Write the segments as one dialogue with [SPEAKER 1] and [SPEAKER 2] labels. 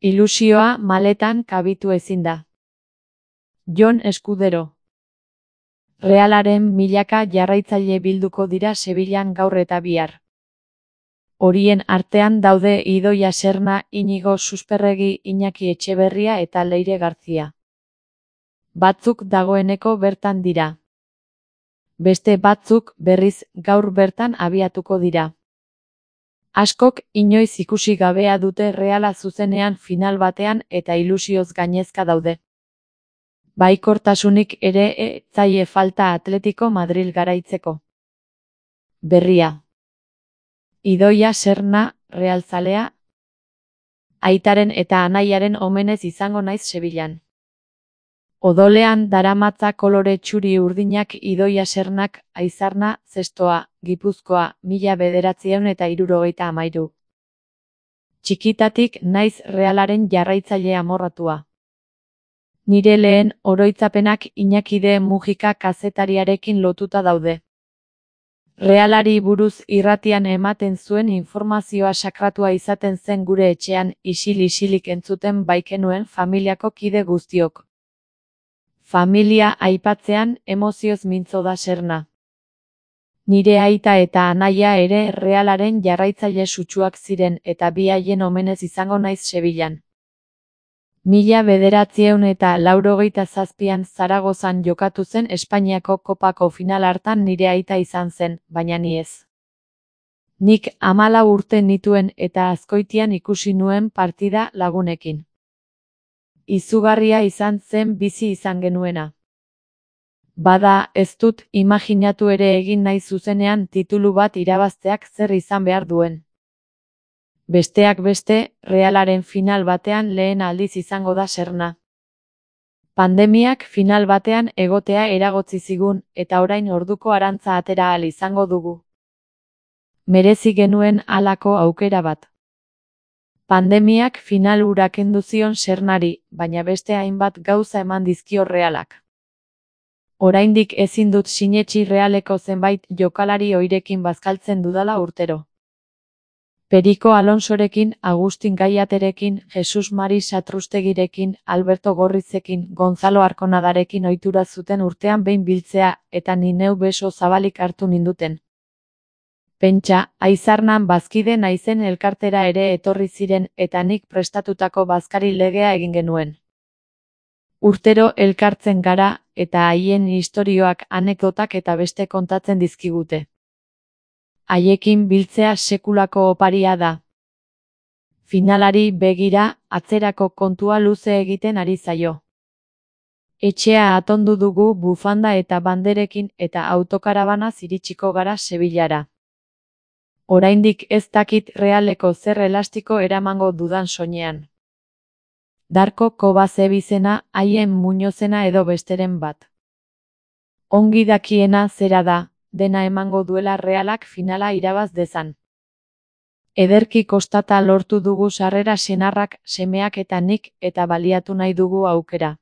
[SPEAKER 1] Ilusioa maletan kabitu ezin da. Jon Escudero. Realaren milaka jarraitzaile bilduko dira Sevillan gaur eta bihar. Horien artean daude Idoia Serna, Iñigo Susperregi, Iñaki Etxeberria eta Leire Garzia. Batzuk dagoeneko bertan dira. Beste batzuk, berriz, gaur bertan abiatuko dira. Askok inoiz ikusi gabea dute Reala zuzenean final batean eta ilusioz gainezka daude. Baikortasunik ere ez zaie falta Atletico Madril garaitzeko. Berria. Idoia Serna, realzalea. Aitaren eta anaiaren omenez izango naiz Sevillan. Odolean daramatza kolore txuri urdinak Idoia Sernak, Aizarna, Zestoa, Gipuzkoa, 1973. Txikitatik naiz Realaren jarraitzaile amorratua. Nire lehen oroitzapenak Iñaki de Mujika kazetariarekin lotuta daude. Realari buruz irratian ematen zuen informazioa sakratua izaten zen gure etxean isil-isilik entzuten baikenuen familiako kide guztiok. Familia aipatzean emozioz mintzo da Serna. Nire aita eta anaia ere Realaren jarraitzaile sutsuak ziren eta bi haien omenez izango naiz Sevillan. 1987an Zaragozan jokatu zen Espainiako kopako final hartan nire aita izan zen, baina ni ez. Nik 14 urte nituen eta Azkoitian ikusi nuen partida lagunekin. Izugarria izan zen bizi izan genuena. Bada, ez dut imaginatu ere egin nahi zuzenean titulu bat irabazteak zer izan behar duen. Besteak beste, Realaren final batean lehen aldiz izango da Serna. Pandemiak final batean egotea eragotzi zigun, eta orain orduko arantza atera ahal izango dugu. Merezi genuen halako aukera bat. Pandemiak final hura kendu zion Sernari, baina beste hainbat gauza eman dizkio Realak. Oraindik ezin dut sinetsi Realeko zenbait jokalari oirekin bazkaltzen dudala urtero. Periko Alonsorekin, Agustin Gaiaterekin, Jesus Mari Satrustegirekin, Alberto Gorrizekin, Gonzalo Arkonadarekin ohitura zuten urtean behin biltzea, eta ni neu beso zabalik hartu ninduten. Pentsa, Aizarnan bazkide naizen elkartera ere etorri ziren eta nik prestatutako bazkari legea egin genuen. Urtero elkartzen gara, eta haien istorioak, anekdotak eta beste kontatzen dizkigute. Haiekin biltzea sekulako oparia da. Finalari begira, atzerako kontua luze egiten ari zaio. Etxea atondu dugu bufanda eta banderekin eta autokarabanaz iritsiko gara Sevillara. Oraindik ez dakit Realeko zer elastiko eramango dudan soinean. Darko Kobazebizena, haien Muñozena edo besteren bat. Ongi dakiena zera da, dena emango duela Realak finala irabaz dezan. Ederki kostata lortu dugu sarrera senarrak, semeak eta nik, eta baliatu nahi dugu aukera.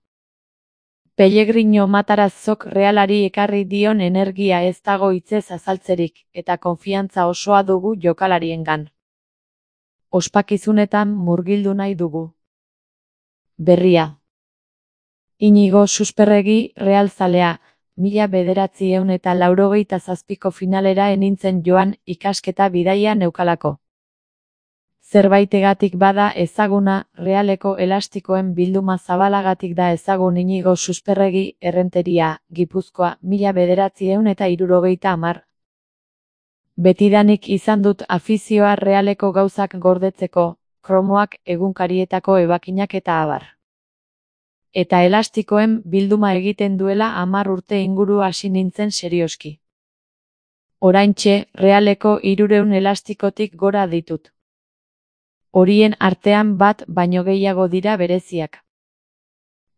[SPEAKER 1] Pellegrino Matarazzok Realari ekarri dion energia ez dago hitzez azaltzerik, eta konfiantza osoa dugu jokalariengan. Ospakizunetan murgildu nahi dugu. Berria. Iñigo Susperregi, realzalea, 1987ko finalera enintzen joan ikasketa bidaia neukalako. Zerbaitegatik bada ezaguna, Realeko elastikoen bilduma zabalagatik da ezagun Iñigo Susperregi, Errenteria, Gipuzkoa, 1970. Betidanik izan dut afizioa Realeko gauzak gordetzeko, kromoak, egunkarietako ebakinak eta abar. Eta elastikoen bilduma egiten duela 10 urte inguru hasi nintzen serioski. Oraintxe, Realeko 300 elastikotik gora ditut. Horien artean bat baino gehiago dira bereziak.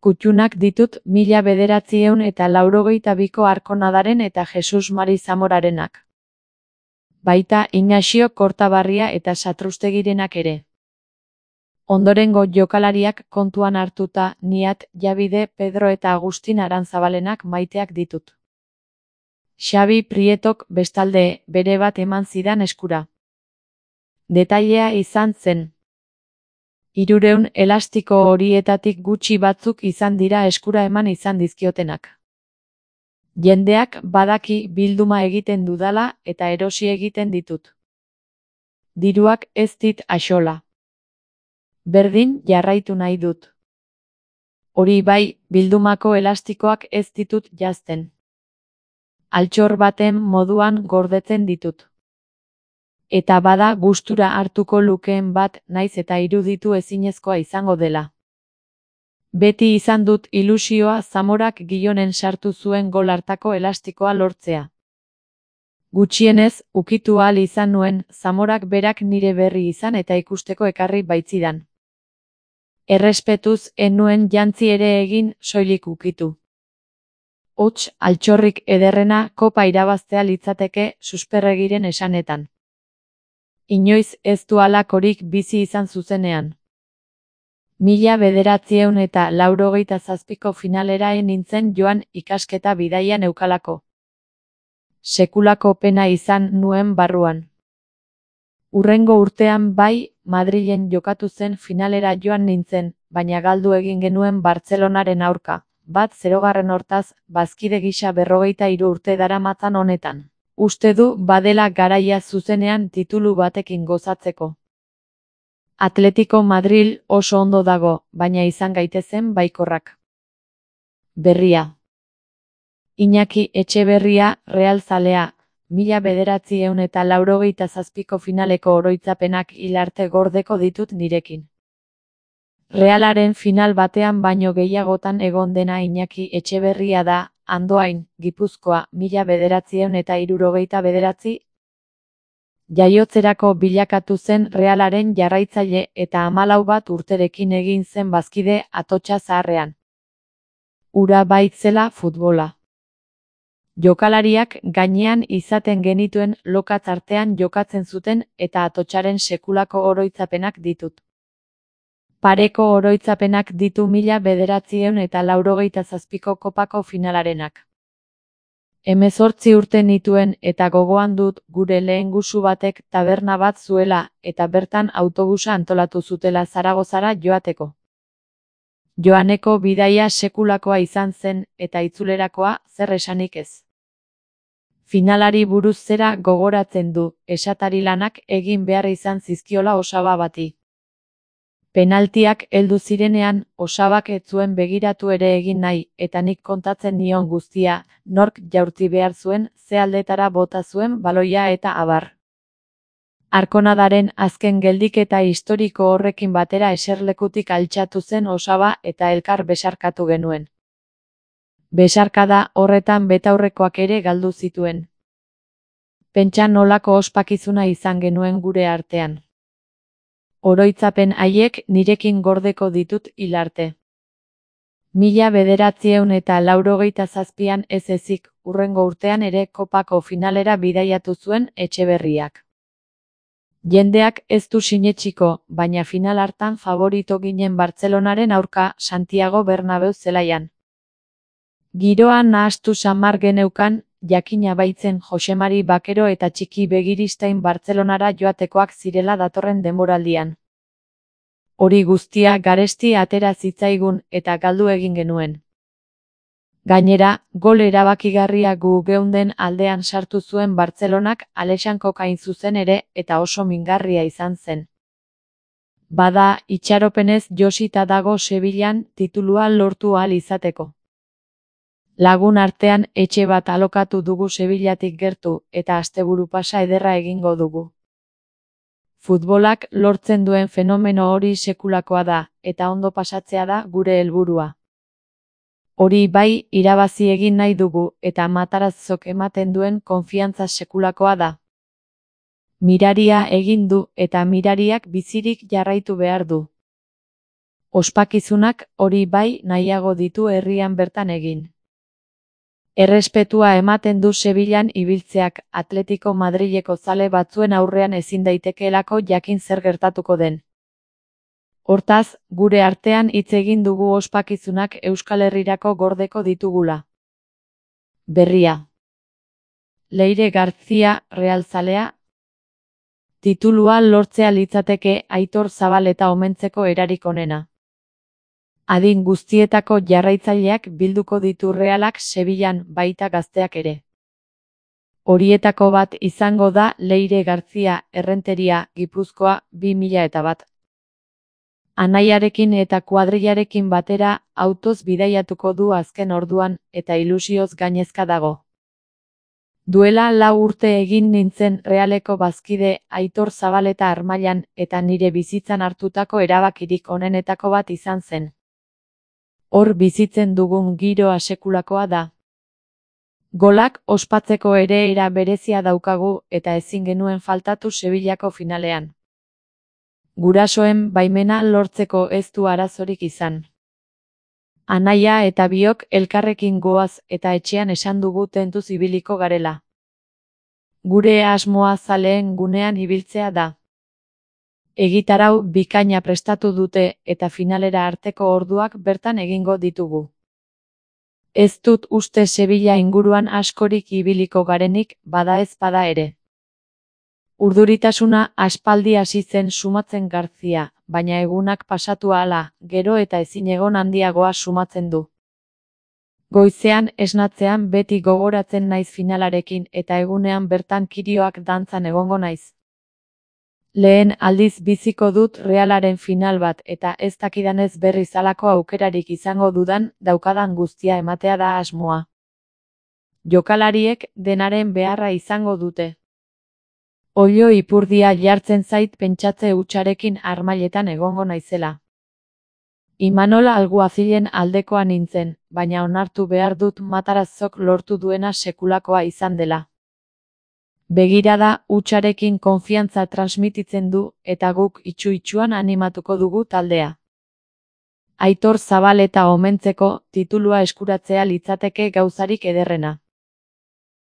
[SPEAKER 1] Kuttunak ditut 1982ko Arkonadaren eta Jesus Mari Zamorarenak. Baita Ignacio Kortabarria eta Satrustegirenak ere. Ondorengo jokalariak kontuan hartuta, Niat, Jabide, Pedro eta Agustin Aranzabalenak maiteak ditut. Xabi Prietok bestalde, bere bat eman zidan eskura. Detailea izan zen. 300 elastiko horietatik gutxi batzuk izan dira eskura eman izan dizkiotenak. Jendeak badaki bilduma egiten dudala eta erosi egiten ditut. Diruak ez dit axola. Berdin jarraitu nahi dut. Hori bai, bildumako elastikoak ez ditut janzten. Altxor baten moduan gordetzen ditut. Eta bada gustura hartuko lukeen bat naiz eta iruditu ezinezkoa izango dela. Beti izan dut ilusioa Zamorak Gijonen sartu zuen gol hartako elastikoa lortzea. Gutxienez, ukitu ahal izan nuen Zamorak berak nire berri izan eta ikusteko ekarri baitzidan. Errespetuz ez nuen jantzi ere egin soilik ukitu. Hots, altxorrik ederrena kopa irabaztea litzateke susperregiren esanetan. Inoiz ez du halakorik bizi izan zuzenean. 1987ko finalera nintzen joan ikasketa bidaia neukalako. Sekulako pena izan nuen barruan. Hurrengo urtean bai, Madrilen jokatu zen finalera joan nintzen, baina galdu egin genuen Bartzelonaren aurka, 1-0 hortaz, bazkide gisa 43 urte daramatzan honetan. Uste du badela garaia zuzenean titulu batekin gozatzeko. Atletico Madril oso ondo dago, baina izan gaitezen baikorrak. Berria. Iñaki Etxeberria, Real zalea, 1987ko finaleko oroitzapenak hil arte gordeko ditut nirekin. Realaren final batean baino gehiagotan egon dena Iñaki Etxeberria da, Andoain, Gipuzkoa, 1979. Jaiotzerako bilakatu zen Realaren jarraitzaile eta 14 urterekin egin zen bazkide Atotxa Zaharrean. Ura baitzela futbola. Jokalariak gainean izaten genituen lokatz artean jokatzen zuten eta Atotxaren sekulako oroitzapenak ditut. Pareko oroitzapenak ditu 1987ko kopako finalarenak. 18 urte nituen eta gogoan dut gure lehen gusu batek taberna bat zuela eta bertan autobusa antolatu zutela Zaragozara joateko. Joaneko bidaia sekulakoa izan zen eta itzulerakoa zer esanik ez. Finalari buruz zera gogoratzen du, esatari lanak egin behar izan zizkiola Osaba bati. Penaltiak heldu zirenean, Osabak ez zuen begiratu ere egin nahi, eta nik kontatzen nion guztia, nork jaurti behar zuen, ze aldetara bota zuen baloia eta abar. Arkonadaren azken geldiketa historiko horrekin batera eserlekutik altxatu zen Osaba eta elkar besarkatu genuen. Besarkada horretan betaurrekoak ere galdu zituen. Pentsa nolako ospakizuna izan genuen gure artean. Oroitzapen haiek nirekin gordeko ditut hil arte. 1987an ez ezik, hurrengo urtean ere kopako finalera bidaiatu zuen Etxeberriak. Jendeak ez du sinetsiko, baina final hartan favorito ginen Bartzelonaren aurka Santiago Bernabeu zelaian. Giroa nahastu samar geneukan, jakina baitzen Josemari Bakero eta Txiki Begiristain Bartzelonara joatekoak zirela datorren denboraldian. Hori guztia garesti atera zitzaigun eta galdu egin genuen. Gainera, gol erabakigarria gu geunden aldean sartu zuen Bartzelonak Alexankok hain zuzen ere eta oso mingarria izan zen. Bada, itxaropenez josita dago Sevillan titulua lortu ahal izateko. Lagun artean etxe bat alokatu dugu Sevillatik gertu eta asteburu pasa ederra egingo dugu. Futbolak lortzen duen fenomeno hori sekulakoa da, eta ondo pasatzea da gure helburua. Hori bai, irabazi egin nahi dugu, eta Matarazzok ematen duen konfiantza sekulakoa da. Miraria egin du, eta mirariak bizirik jarraitu behar du. Ospakizunak hori bai nahiago ditu herrian bertan egin. Errespetua ematen du Sevillan ibiltzeak, Atletico Madrileko zale batzuen aurrean ezin daitekeelako jakin zer gertatuko den. Hortaz, gure artean hitz egin dugu ospakizunak Euskal Herrirako gordeko ditugula. Berria. Leire García, Real zalea. Titulua lortzea litzateke Aitor Zabaleta omentzeko erarik onena. Adin guztietako jarraitzaileak bilduko ditu Realak Sevillan, baita gazteak ere. Horietako bat izango da Leire Garzia, Errenteria, Gipuzkoa, 2001. Anaiarekin eta kuadrillarekin batera autoz bidaiatuko du azken orduan eta ilusioz gainezka dago. Duela 4 urte egin nintzen Realeko bazkide Aitor Zabaleta Armailan eta nire bizitzan hartutako erabakirik onenetako bat izan zen. Hor bizitzen dugun giroa sekulakoa da. Golak ospatzeko ere era berezia daukagu eta ezin genuen faltatu Sevillako finalean. Gurasoen baimena lortzeko ez du arazorik izan. Anaia eta biok elkarrekin goaz eta etxean esan dugu tentuz ibiliko garela. Gure asmoa zaleen gunean ibiltzea da. Egitarau bikaina prestatu dute eta finalera arteko orduak bertan egingo ditugu. Ez dut uste Sevilla inguruan askorik ibiliko garenik, bada ez bada ere. Urduritasuna aspaldi hasi zen sumatzen Garzia, baina egunak pasatu ahala, gero eta ezinegon handiagoa sumatzen du. Goizean esnatzean beti gogoratzen naiz finalarekin eta egunean bertan kirioak dantzan egongo naiz. Lehen aldiz biziko dut Realaren final bat eta ez dakidanez berriz halako aukerarik izango dudan daukadan guztia ematea da asmoa. Jokalariek denaren beharra izango dute. Oilo ipurdia jartzen zait pentsatze hutsarekin Armailetan egongo naizela. Imanol Alguazilen aldekoa nintzen, baina onartu behar dut Matarazok lortu duena sekulakoa izan dela. Begirada hutsarekin konfiantza transmititzen du eta guk itsu-itsuan animatuko dugu taldea. Aitor Zabaleta omentzeko titulua eskuratzea litzateke gauzarik ederrena.